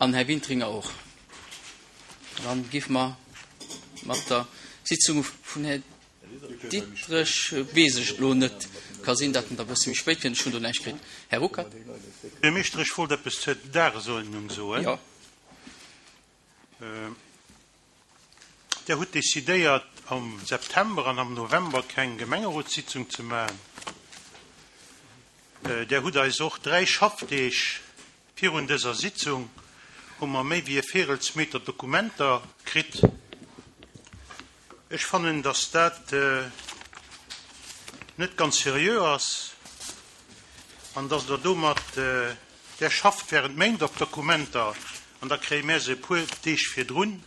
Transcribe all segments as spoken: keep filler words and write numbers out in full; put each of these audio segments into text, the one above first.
An Här Wintringer och. Dann géife mer mat der Sitzung vun Här Diderich, weess ech elo net, ka sinn, datt en da e bësse méi spéit kënnt, ech hunn do näischt kritt. Här Ruckert. Buergermeeschter, ech wollt eppes zur Dagesuerdnung soen. Jo. Der hutt decidéiert, am September an am November keng Gemengerotssitzung ze maachen. Der hutt eis och dräi Schaffdeeg virun dëser Sitzung hu mer méi wéi e Véirelsmeter Dokumenter kritt. Ech fannen, dass dat net ganz seriö ass an dass Der domat, Der schafft während Méint op Dokumenter an da kréie mär se e puer Deeg virdrun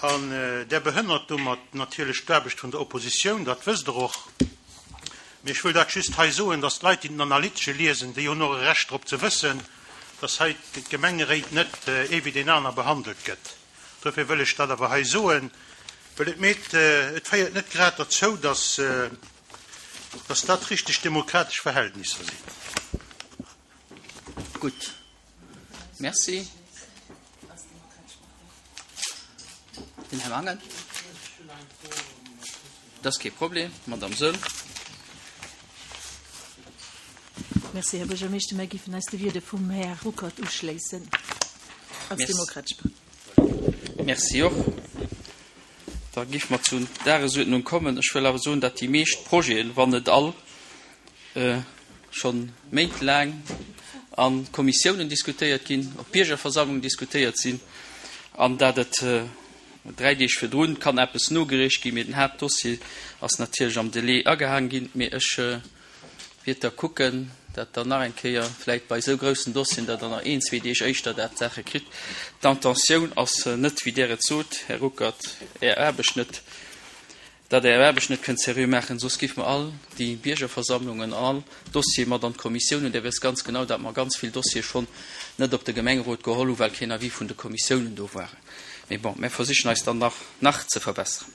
an Der behënnert domat natierlech d'Aarbecht vun der Oppositioun, dat wësst Der och. Mee ech wëll dat just hei soen, dass d'Leit, déi den Analytesche liesen, déi hunn och e Recht drop ze wëssen, dass hei d'Gemengeréit net ee wéi deen aner behandelt gëtt. Dofir wëll ech dat awer hei soen, well et meet, et féiert net grad derzou, dass, dass dat richteg demokratesch Verhältnisser sinn. Gutt. Merci. Den Här Mangen. Dat ass kee Problem, Madamm Söll. Merci, Här Buergermeeschter. Mär géifen eis de Wieder vum Här Ruckert uschléissen als Demokratesch Partei. Merci och. Da géife mer zur Dagesuerdnung kommen. Ech wëll awer soen, datt déi meescht Projeten, wann net all, scho méintlaang a Kommissiounen diskutéiert ginn, op Biergerversammlungen diskutéiert sinn an datt et dräi Deeg virdrun kann eppes nogereecht ginn, mee den Haaptdossier ass natierlech am Delai agehaangen ginn. Mee ech wiert da kucken, dat Der nach eng Kéier vläicht bei esou groussen Dossieren, datt Der nach een, zwee Deeg éischter dat d'Saache kritt. D'Intentioun ass net, wéi Der et sot, Här Ruckert, Är Aarbecht net, datt Der Är Aarbecht net kënnt seriö maachen, soss géife mer all déi Biergerversammlungen, all Dossiere mat an d'Kommissiounen. Der wësst ganz genau, datt mer ganz vill Dossiere schonn net op de Gemengerot geholl hunn, well keen Avis vun de Kommissiounen do waren. Mee bon, mir versichen eis dann nach, nach ze verbessern.